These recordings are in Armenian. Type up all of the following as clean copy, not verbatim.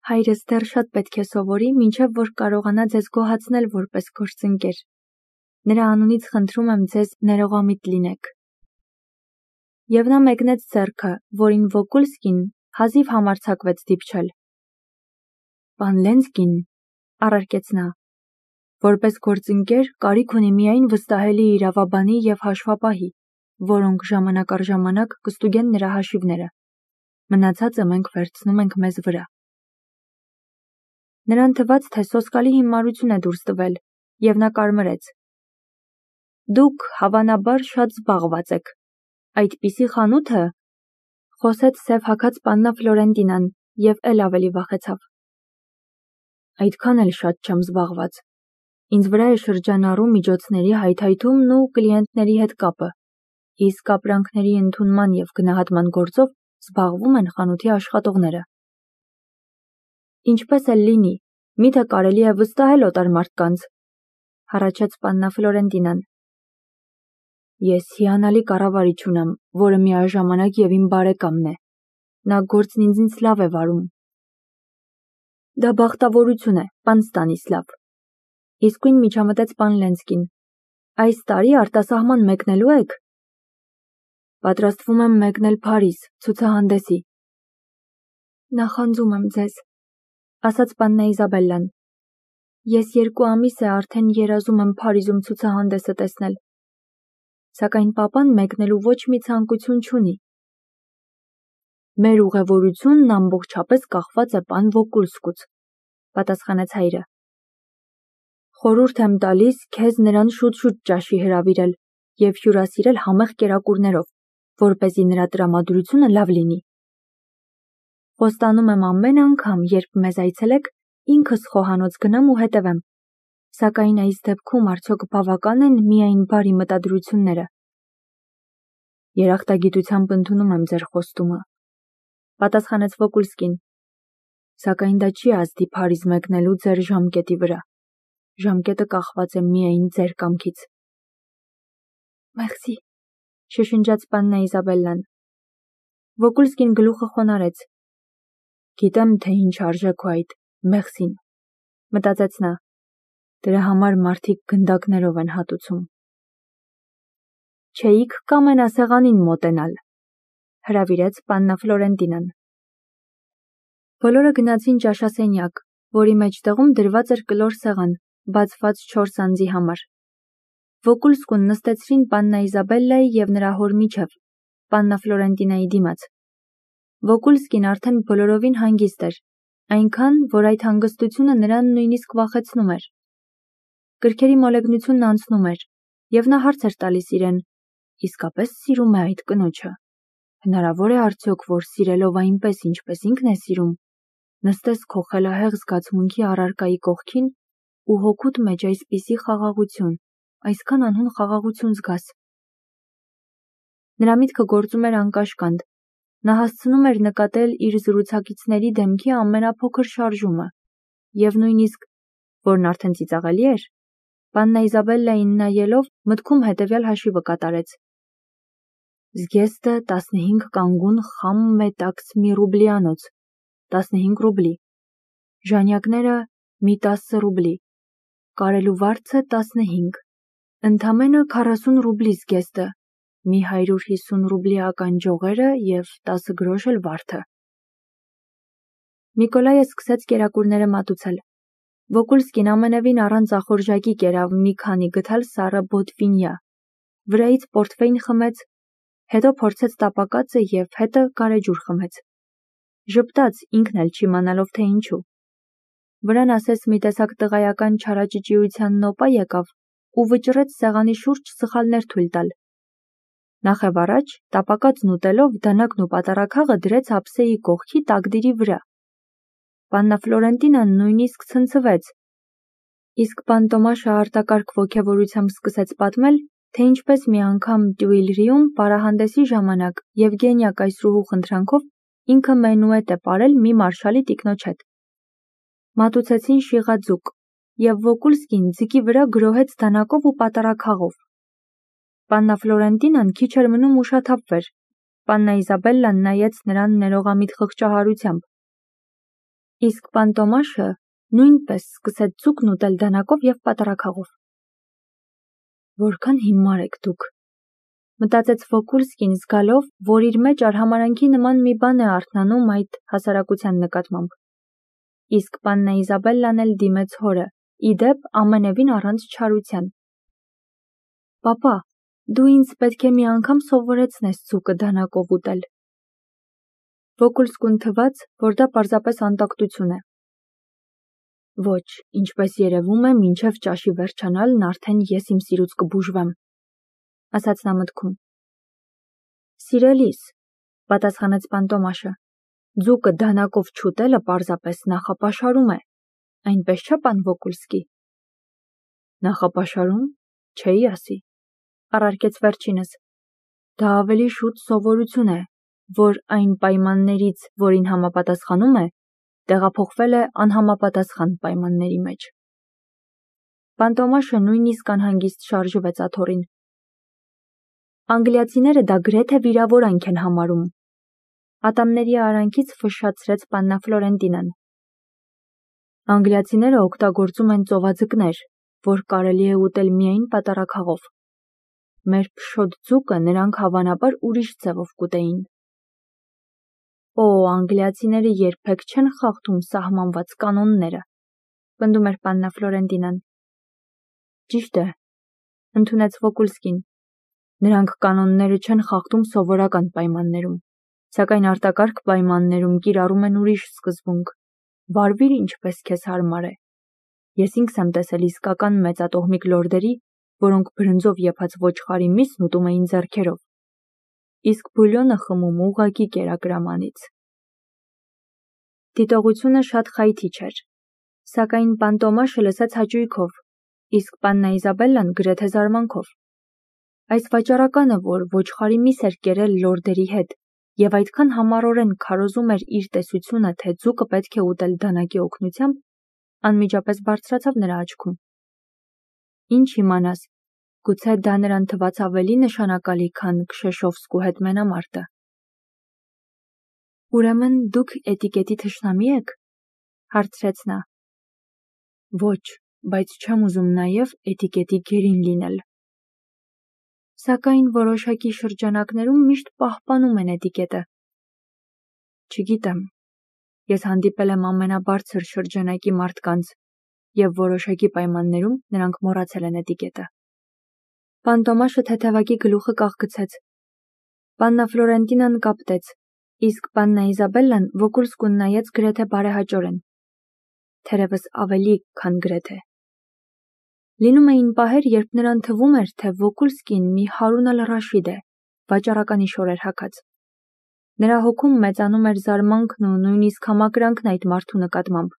Հայրս դեռ շատ պետք է սովորի, մինչև որ կարողանա ձեզ գոհացնել որպես գործընկեր։ Նրա անունից խնդրում եմ ձեզ ներողամիտ լինեք։ Եվ նա մեկնեց ձեռքը, որին Վոկուլսկին հազիվ համարձակվեց դիպչել։ Պան Լենսկին, առարկեց նա, որպես գործընկեր կարիք ունի միայն վստահելի իրավաբանի և հաշվապահի, որոնք ժամանակ առ ժամանակ կստուգեն նրա հաշիվները։ Մնացածը մենք վերցնում ենք մեզ վրա։ Նրան թվաց, թե սոսկալի հիմարություն է դուրս տվել, և նա կարմրեց։ Դուք, հավանաբար, շատ զբաղված եք։ Այդպիսի խանութը, խոսեց սև հագած պաննա Ֆլորենտինան և էլ ավելի վախեցավ։ Այդքան էլ շատ չեմ զբաղված։ Ինձ վրա է շրջանառում միջոցների հայթայթումն ու կլիենտների հետ կապը, իսկ ապրանքների ընդունման և գնահատման գործով զբաղվում են խանութի աշխատողները։ Ինչպես էլ լինի, միթե կարելի է վստահել օտար մարդկանց, հառաչեց պաննա Ֆլորենտինան։ Ես հիանալի կառավարիչ ունեմ, որը միաժամանակ և իմ բարեկամն է։ Նա գործն ինձնից լավ է վարում։ Դա բախտավորություն է, պան Ստանիսլավ։ Իսկույն միջամտեց պան Լենսկին։ Այս տարի արտասահման մեկնելու եք։ Պատրաստվում եմ մեկնել Փարիզ, ցուցահանդեսի։ Նախանձում եմ ձեզ, ասաց պաննա Իզաբելլան։ Ես 2 ամիս է արդեն երազում եմ Փարիզում ցուցահանդեսը տեսնել։ Սակայն պապան մեկնելու ոչ մի ցանկություն չունի։ Մեր ուղևորությունն ամբողջապես կախված է պան Վոկուլսկուց, պատասխանեց հայրը։ Խորհուրդ եմ տալիս քեզ նրան շուտ-շուտ ճաշի հրավիրել և հյուրասիրել համեղ կերակուրներով, որպեսզի նրա տրամադրությունը լավ լինի։ Խոստանում եմ ամեն անգամ, երբ մեզ այցելեք, ինքս խոհանոց գնամ ու հետևեմ, սակայն այս դեպքում արդյոք բավական են միայն բարի մտադրությունները։ Երախտագիտությամբ ընդունում եմ ձեր խոստումը, պատասխանեց Վոկուլսկին, սակայն դա չի ազդի Փարիզ մեկնելու ձեր ժամկետի վրա։ Ժամկետը կախված է միայն ձեր կամքից։ Մերսի, շշնջաց պաննա Իզաբելլան։ Վոկուլսկին գլուխը խոնարհեց։ Գիտեմ, թե ինչ արժեք ու այդ մեղսին, մտածեց նա։ Դրա համար մարդիկ գնդակներով են հատուցում։ Չէիք կամենա սեղանին մոտենալ, հրավիրեց պաննա Ֆլորենտինան։ Բոլորը գնացին ճաշասենյակ, որի մեջտեղում դրված էր կլոր սեղան, բացված 4 անձի համար։ Վոկուլսկուն նստեցրին պաննա Իզաբելլայի և նրա հոր միջև, պաննա Ֆլորենտինայի դիմաց։ Վոկուլսկին արդեն բոլորովին հանգիստ էր, այնքան, որ այդ հանգստությունը նրան նույնիսկ վախեցնում էր։ Գրքերի մոլեգնությունն անցնում էր, և նա հարց էր տալիս իրեն. իսկապես սիրում է այդ կնոջը։ Հնարավոր է արդյոք, որ սիրելով այնպես, ինչպես ինքն է սիրում, նստես քո խելահեղ զգացմունքի առարկայի կողքին ու հոգուդ մեջ այսպիսի խաղաղություն, այսքան անհուն խաղաղություն զգաս։ Նրա միտքը գործում էր անկաշկանդ։ Նա հասցնում էր նկատել իր զրուցակիցների դեմքի ամենափոքր շարժումը, և նույնիսկ, որն արդեն ծիծաղելի էր, պաննա Իզաբելլային նայելով մտքում հետևյալ հաշիվը կատարեց։ Զգեստը 15 կանգուն խամ մետաքս մի ռուբլիանոց, 15 ռուբլի, ժանյակները մի 10 ռուբլի, կարելու վարձը 15, ընդամենը 40 ռուբլի զգեստը, մի 150 ռուբլի ականջողերը և 10 գրոշ էլ վարդը։ Նիկոլայը սկսեց կերակուրները մատուցել։ Վոկուլսկին ամենևին առանց ախորժակի կերավ մի քանի գդալ սառը բոտվինյա, վրայից պորտվեյն խմեց, հետո փորձեց տապակածը և հետը գարեջուր խմեց։ Ժպտաց, ինքն էլ չիմանալով, թե ինչու։ Վրան ասես մի տեսակ տղայական չարաճճիության նոպա եկավ ու վճռեց սեղանի շուրջ սխալներ թույլ տալ։ Նախևառաջ, տապակածն ուտելով, դանակն ու պատառաքաղը դրեց ափսեի կողքի տակդիրի վրա։ Պաննա Ֆլորենտինան նույնիսկ ցնցվեց, իսկ պան Տոմաշը արտակարգ ոգևորությամբ սկսեց պատմել, թե ինչպես մի անգամ Տյուիլրիում պարահանդեսի ժամանակ Եվգենիա կայսրուհու խնդրանքով ինքը մենուետ է պարել մի մարշալի տիկնոջ հետ։ Մատուցեցին շիղաձուկ, և Վոկուլսկին ձկի վրա գրոհեց դանակով ու պատառաքաղով։ Պաննա Ֆլորենտինան քիչ էր մնում ուշաթափվեր։ Պաննա Իզաբելլան նայեց նրան ներողամիտ խղճահարությամբ։ Իսկ պան Տոմաշը նույնպես սկսեց ձուկն ուտել դանակով և պատառաքաղով։ Որքան հիմար եք դուք, մտածեց Վոկուլսկին զգալով, որ իր մեջ արհամարանքի նման մի բան է արթնանում այդ հասարակության նկատմամբ։ Իսկ պաննա Իզաբելլան էլ դիմեց հորը, ի դեպ ամենևին առանց չարության։ Պապա, դու ինձ պետք է մի անգամ սովորեցնես ձուկը դանակով ուտել։ Վոկուլսկուն թվաց, որ դա պարզապես անտակտություն է։ Ոչ, ինչպես երևում է, մինչև ճաշի վերջանալն արդեն ես իմ սիրուց կբուժվեմ, ասաց նա մտքում։ Սիրելիս, պատասխանեց պան Տոմաշը, ձուկը դանակով չուտելը պարզապես նախապաշարում է, այնպես չէ, պան Վոկուլսկի։ Նախապաշարում, չէի ասի, առարկեց վերջինս։ Դա ավելի շուտ սովորություն է, որ այն պայմաններից, որին համապատասխանում է, տեղափոխվել է անհամապատասխան պայմանների մեջ։ Պան Տոմաշը նույնիսկ անհանգիստ շարժվեց աթոռին։ Անգլիացիները դա գրեթե վիրավորանք են համարում։ Ատամների արանքից ֆշշացրեց պաննա Ֆլորենտինան։ Անգլիացիները օգտագործում են ծովաձկներ, որ կարելի է ուտել միայն պատառաքաղով։ Մեր փշոտ ձուկը նրանք հավանաբար ուրիշ ձևով կուտեին։ Օ, անգլիացիները երբեք չեն խախտում սահմանված կանոնները, պնդում էր պաննա Ֆլորենտինան։ Ճիշտ է, ընդունեց Վոկուլսկին։ Նրանք կանոնները չեն խախտում սովորական պայմաններում, սակայն արտակարգ պայմաններում կիրառում են ուրիշ սկզբունք։ Վարվիր ինչպես քեզ հարմար է։ Ես ինքս եմ տեսել իսկական մեծատոհմիկ լորդերի, որոնք բրնձով եփած ոչխարի միսն ուտում էին ձեռքերով, իսկ բուլյոնը խմում ուղղակի կերակրամանից։ Դիտողությունը շատ խայթիչ էր, սակայն պան Տոմաշը լսեց հաճույքով, իսկ պաննա Իզաբելլան գրեթե զարմանքով։ Այս վաճառականը, որ ոչխարի միս էր կերել լորդերի հետ և այդքան համառորեն քարոզում էր իր տեսությունը, թե ձուկը պետք է ուտել դանակի օգնությամբ, անմիջապես բարձրացավ նրա աչքում։ Ինչ իմանաս, գուցե դա նրան թվաց ավելի նշանակալի, քան Քշեշովսկու հետ մենամարտը։ Ուրեմն դուք էտիկետի թշնամի եք, հարցրեց նա։ Ոչ, բայց չեմ ուզում նաև էտիկետի գերին լինել։ Սակայն որոշակի շրջանակներում միշտ պահպանում են էտիկետը։ Չգիտեմ, ես հանդիպել եմ ամենաբարձր շրջանակի մարդկանց, և որոշակի պայմաններում նրանք մոռացել են էտիկետը։ Պան Տոմաշը թեթևակի գլուխը կաղգցեց։ Պաննա Ֆլորենտինան կապտեց, իսկ պաննա Իզաբելլան Վոկուլսկուն նայեց գրեթե բարեհաճորեն։ Թերևս ավելի, քան գրեթե։ Լինում էին պահեր, երբ նրան թվում էր, թե Վոկուլսկին մի Հարուն ալ-Ռաշիդ է, վաճառականի շորեր հագած։ Նրա հոգում մեծանում էր զարմանքն ու նույնիսկ համակրանքն այդ մարդու նկատմամբ։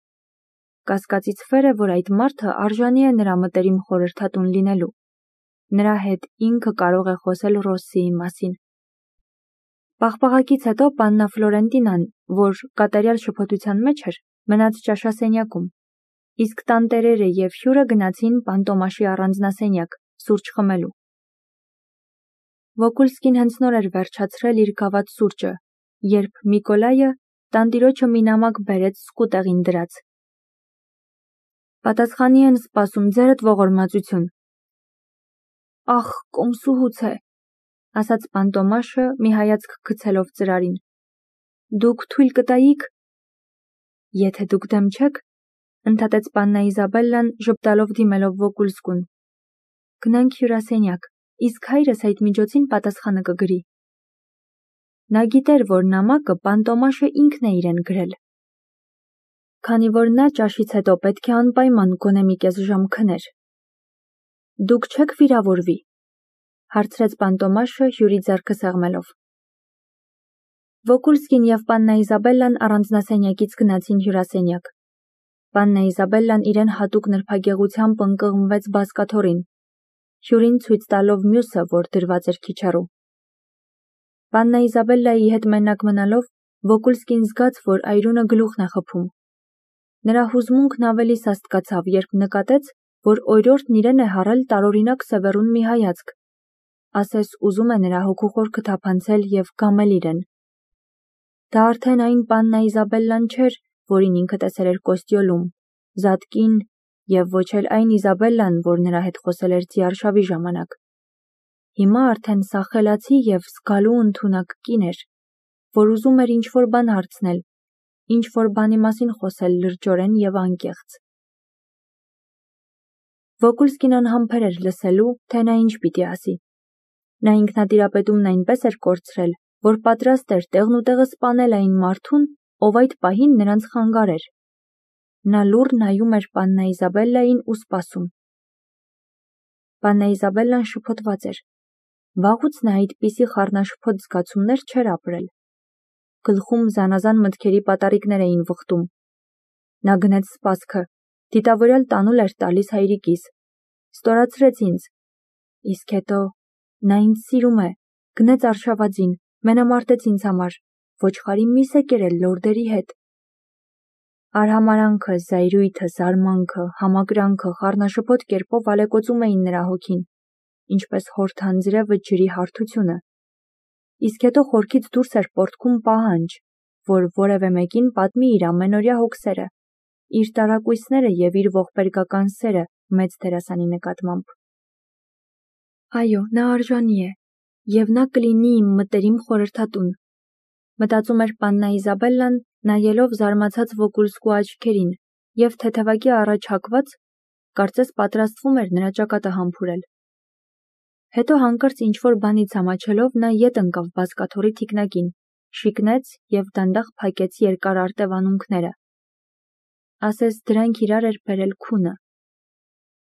Կասկածից վեր է, որ այդ մարդը արժանի է նրա մտերիմ խորհրդատուն լինելու։ Նրա հետ ինքը կարող է խոսել Ռոսսիի մասին։ Պաղպաղակից հետո պաննա Ֆլորենտինան, որ կատարյալ շփոթության մեջ էր, մնաց ճաշասենյակում, իսկ տանտերերը և հյուրը գնացին պան Տոմաշի առանձնասենյակ, սուրճ խմելու։ Վոկուլսկին հենց նոր էր վերջացրել իր գաված սուրճը, երբ Միկոլայը տանտիրոջը մի նամակ բերեց սկուտեղին դրած։ Պատասխանի են սպասում ձերդ ողորմածություն։ Ախ, կոմսուհուց է, ասաց պան Տոմաշը մի հայացք գցելով ծրարին։ Դուք թույլ կտայիք։ Եթե դուք դեմ չեք, ընդհատեց պաննա Իզաբելլան ժպտալով դիմելով Վոկուլսկուն։ Գնանք հյուրասենյակ, իսկ հայրս այդ միջոցին պատասխանը կգրի։ Նա գիտեր, որ նամակը պան Տոմաշը ինքն է իրեն գրել։ Քանի որ նա ճաշից հետո պետք է անպայման գոնե մի կես ժամ քներ։ Դուք չեք վիրավորվի, հարցրեց պան Տոմաշը հյուրի ձեռքը սեղմելով։ Վոկուլսկին և պաննա Իզաբելլան առանձնասենյակից գնացին հյուրասենյակ։ Պաննա Իզաբելլան իրեն հատուկ նրբագեղությամբ ընկղմվեց բազկաթոռին, հյուրին ցույց տալով մյուսը, որ դրված էր քիչ հեռու։ Պաննա Իզաբելլայի հետ մենակ մնալով, Վոկուլսկին զգաց, որ այրունը գլուխն է խփում։ Նրա հուզմունքն ավելի սաստկացավ, երբ նկատեց, որ օրիորդն իրեն է հառել տարօրինակ սևեռուն մի հայացք, ասես ուզում է նրա հոգու խորքը թափանցել և գամել իրեն։ Դա արդեն այն պաննա Իզաբելլան չէր, որին ինքը տեսել էր Կոստյոլում, Զատկին և ոչ էլ այն Իզաբելլան, որ նրա հետ խոսել էր ձիարշավի ժամանակ։ Հիմա արդեն սա խելացի և զգալու ընդունակ կին էր, որ ուզում էր ինչ-որ բան հարցնել, ինչ-որ բանի մասին խոսել լրջորեն և անկեղծ։ Վոկուլսկին անհամբեր էր լսելու, թե նա ինչ պիտի ասի։ Նա ինքնատիրապետումն այնպես էր կորցրել, որ պատրաստ էր տեղնուտեղը սպանել այն մարդուն, ով այդ պահին նրանց խանգարեր։ Նա լուռ նայում էր պաննա Իզաբելլային ու սպասում։ Պաննա Իզաբելլան շփոթված էր։ Վաղուց նա այդպիսի խառնաշփոթ զգացումներ չէր ապրել։ Գլխում զանազան մտքերի պատառիկներ էին վխտում։ Նա գնեց սպասքը, դիտավորյալ տանուլ էր տալիս հայրիկիս։ Ստորացրեց ինձ։ Իսկ հետո նա ինձ սիրում է, գնեց արշավածին, մենամարտեց ինձ համար, ոչխարի միս է կերել լորդերի հետ։ Արհամարանքը, զայրույթը, զարմանքը, համակրանքը խառնաշփոթ կերպով ալեկոծում էին նրա հոգին, ինչպես հորթանձրևը ջրի հարթությունը։ Իսկ հետո խորքից դուրս էր պոռթկում պահանջ, որ որևէ մեկին պատմի իր ամենօրյա հոգսերը, իր տարակույսները և իր ողբերգական սերը մեծ դերասանի նկատմամբ։ Այո, նա արժանի է, և նա կլինի իմ մտերիմ խորհրդատուն, մտածում էր պաննա Իզաբելլան, նայելով զարմացած Վոկուլսկու աչքերին, և թեթևակի առաջ հակված, կարծես պատրաստվում էր նրա ճակատը համբուրել։ Հետո հանկարծ ինչ-որ բանից ամաչելով նա ետ ընկավ բազկաթոռի թիկնակին, շիկնեց և դանդաղ փակեց երկար արտևանունքները։ Ասես դրանք իրար էր բերել քունը։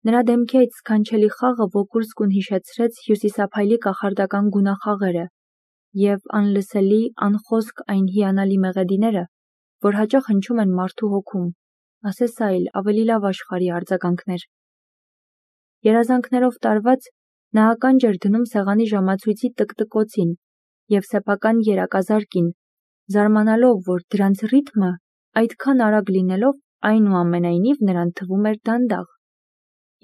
Նրա դեմքի այդ սքանչելի խաղը Վոկուլսկուն հիշեցրեց հյուսիսափայլի կախարդական գունախաղերը և անլսելի, անխոսք այն հիանալի մեղեդիները, որ հաճախ հնչում են մարդու հոգում, ասես այլ, ավելի լավ աշխարհի արձագանքներ։ Երազանքներով տարված, նա ականջ էր դնում սեղանի ժամացույցի տկտկոցին և սեփական երակազարկին, զարմանալով, որ դրանց ռիթմը այդքան արագ լինելով, այնուամենայնիվ նրան թվում էր դանդաղ,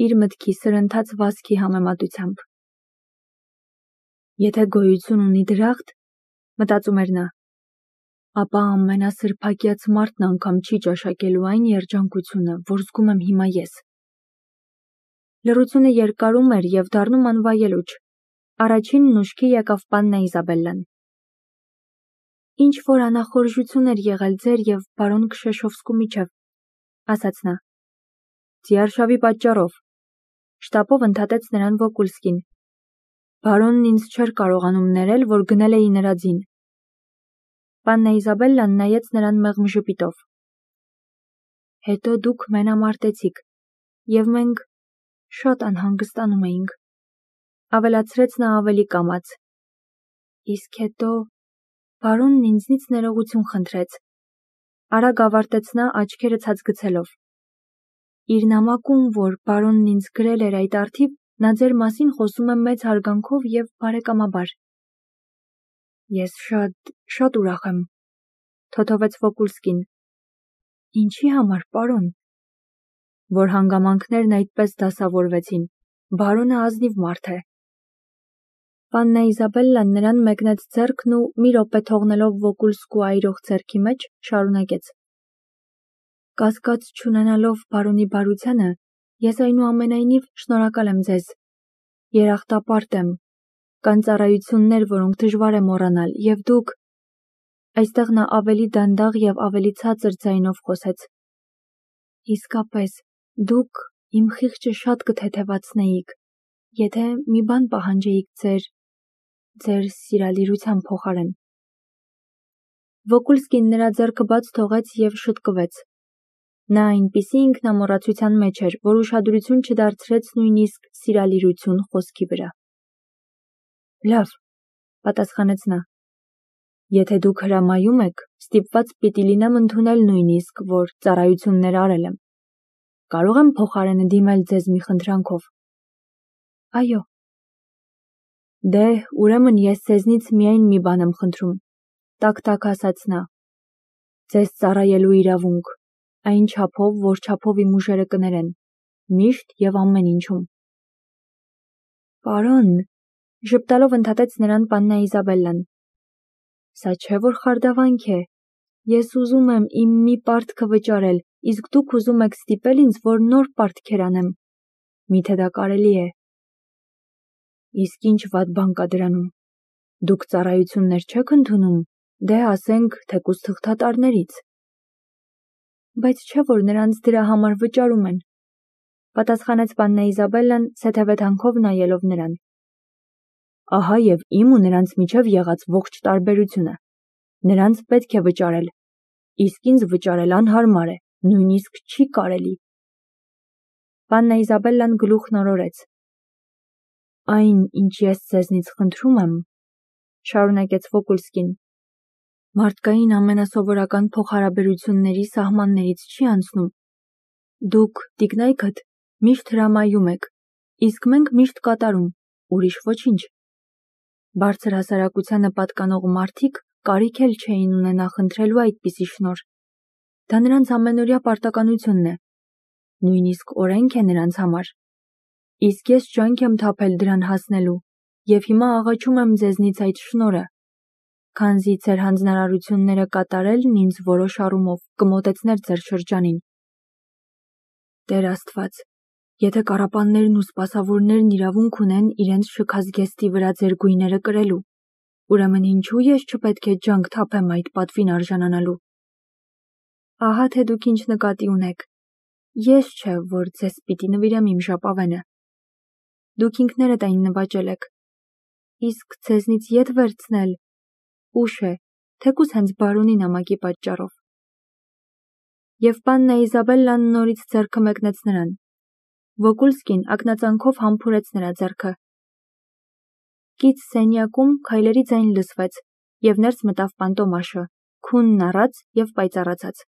իր մտքի սրընթաց վազքի համեմատությամբ։ Եթե գոյություն ունի դրախտ, մտածում էր նա, ապա ամենասրբակյաց մարդն անգամ չի ճաշակելու այն երջանկությունը, որ զգում եմ հիմա ես։ Լռությունը երկարում էր և դառնում անվայելուչ։ Առաջինն ուշքի եկավ պաննա Իզաբելլան։ Ինչ-որ անախորժություն էր եղել ձեր և բարոն Քշեշովսկու միջև, ասաց նա։ Ձիարշավի պատճառով, շտապով ընդհատեց նրան Վոկուլսկին։ Բարոնն ինձ չէր կարողանում ներել, որ գնել էի նրա ձին։ Պաննա Իզաբելլան նայեց նրան մեղմ ժպիտով։ Հետո դուք մենամարտեցիք, և մենք շատ անհանգստանում էինք, ավելացրեց նա ավելի կամաց։ Իսկ հետո բարոնն ինձնից ներողություն խնդրեց։ Արագ ավարտեց նա աչքերը ցած գցելով։ Իր նամակում, որ բարոնն ինձ գրել էր այդ առթիվ, նա ձեր մասին խոսում է մեծ հարգանքով և բարեկամաբար։ Ես շատ ուրախ եմ, թոթովեց Վոկուլսկին։ Ինչի համար, պարոն։ Որ հանգամանքներն այդպես դասավորվեցին, բարոնը ազնիվ մարդ է։ Պաննա Իզաբելլան նրան մեկնեց ձեռքն ու մի րոպե թողնելով Վոկուլսկու այրող ձեռքի մեջ, շարունակեց. Կասկած չունենալով բարոնի բարությանը, ես այնուամենայնիվ շնորհակալ եմ ձեզ։ Երախտապարտ եմ, կան ծառայություններ, որոնք դժվար է մոռանալ, և դուք… Այստեղ նա ավելի դանդաղ և ավելի ցածր ձայնով խոսեց։ Իսկապես, դուք իմ խիղճը շատ կթեթևացնեիք, եթե մի բան պահանջեիք ձեր սիրալիրության փոխարեն։ Վոկուլսկին նրա ձեռքը բաց թողեց և շտկվեց։ Նա այնպիսի ինքնամոռացության մեջ էր, որ ուշադրություն չդարձրեց նույնիսկ սիրալիրություն խոսքի վրա։ Լավ, պատասխանեց նա։ Եթե դուք հրամայում եք, ստիպված պիտի լինեմ ընդունել նույնիսկ, որ ծառայություններ արել եմ։ Կարող եմ փոխարենը դիմել ձեզ մի խնդրանքով։ Այո։ Դե, ուրեմն ես ձեզնից միայն մի բան եմ խնդրում, տաք-տաք ասաց նա։ Ձեզ ծառայելու իրավունք, այն չափով, որ չափով իմ ուժերը կներեն, միշտ և ամեն ինչում։ Պարոն, ժպտալով ընդհատեց նրան պաննա Իզաբելլան։ Սա չէ, որ խարդավանք է, Ես ուզում եմ իմ մի պարտքը վճարել, իսկ դուք ուզում եք ստիպել ինձ, որ նոր պարտքեր անեմ։ Միթե դա կարելի է։ Իսկ ինչ վատ բան կա դրանում։ Դուք ծառայություններ չեք ընդունում, դե ասենք թեկուզ թղթատարներից։ Բայց չէ՞ որ նրանց դրա համար վճարում են, պատասխանեց պաննա Իզաբելլան սեթևեթանքով նայելով նրան։ Ահա եւ իմ ու նրանց միջև եղած ողջ տարբերությունը։ Նրանց պետք է վճարել, իսկ ինձ վճարել անհարմար է, նույնիսկ չի կարելի։ Պաննա Իզաբելլան գլուխն օրորեց։ Այն, ինչ ես ձեզնից խնդրում եմ, շարունակեց Վոկուլսկին, մարդկային ամենասովորական փոխհարաբերությունների սահմաններից չի անցնում։ Դուք, տիկնայքդ, միշտ հրամայում եք, իսկ մենք միշտ կատարում, ուրիշ ոչինչ։ Բարձր հասարակությանը պատկանող մարդիկ կարիք էլ չէին ունենա խնդրելու այդպիսի շնորհ։ Դա նրանց ամենօրյա պարտականությունն է, նույնիսկ օրենք է նրանց համար։ Իսկ ես ջանք եմ թափել դրան հասնելու, եւ հիմա աղաչում եմ ձեզնից այդ շնորհը, քանզի ձեր հանձնարարությունները կատարելն ինձ որոշ առումով կմոտեցներ ձեր շրջանին։ Տեր Աստված, եթե կառապաններն ու սպասավորներն իրավունք ունեն իրենց շքազգեստի վրա ձեր գույները կրելու, ուրեմն ինչու ես չպետք է ջանք թափեմ այդ պատվին արժանանալու։ Ահա թե դուք ինչ նկատի ունեք։ Ես չէ, որ ձեզ պիտի նվիրեմ իմ ժապավենը։ Դուք ինքներդ այն նվաճել եք։ Իսկ ձեզնից ետ վերցնել ուշ է, թեկուզ հենց բարոնի նամակի պատճառով։ Եվ պաննա Իզաբելլան նորից ձեռքը մեկնեց նրան։ Վոկուլսկին ակնածանքով համբուրեց նրա ձեռքը։ Կից սենյակում քայլերի ձայն լսվեց, եւ ներս մտավ Պանտոմաշը, քունն առած եւ պայծառացած։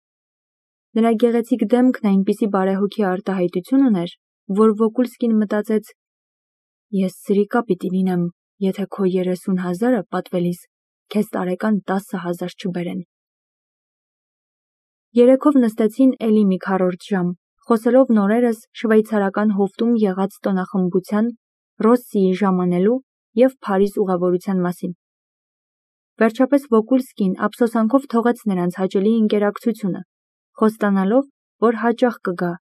Նրա գեղեցիկ դեմքն այնպիսի բարեհոգի արտահայտություն ուներ, որ Վոկուլսկին մտածեց. Ես սրիկա պիտի լինեմ, եթե քո 30,000-ը պատվելիս քեզ տարեկան 10,000 չբերեն։ Երեքով նստեցին էլի մի քառորդ ժամ, խոսելով նորերս շվեյցարական հովտում եղած տոնախմբության, Ռոսսիի ժամանելու եւ Փարիզ ուղևորության մասին։ Վերջապես Վոկուլսկին ափսոսանքով թողեց նրանց հաճելի ընկերակցությունը, խոստանալով, որ հաճախ կգա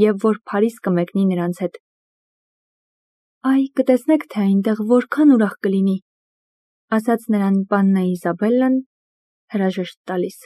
եւ որ Փարիզ կմեկնի նրանց հետ։ Այ, կտեսնեք, թե այնտեղ որքան ուրախ կլինի, ասաց նրան պաննա Իզաբելլան, հրաժեշտ տալիս։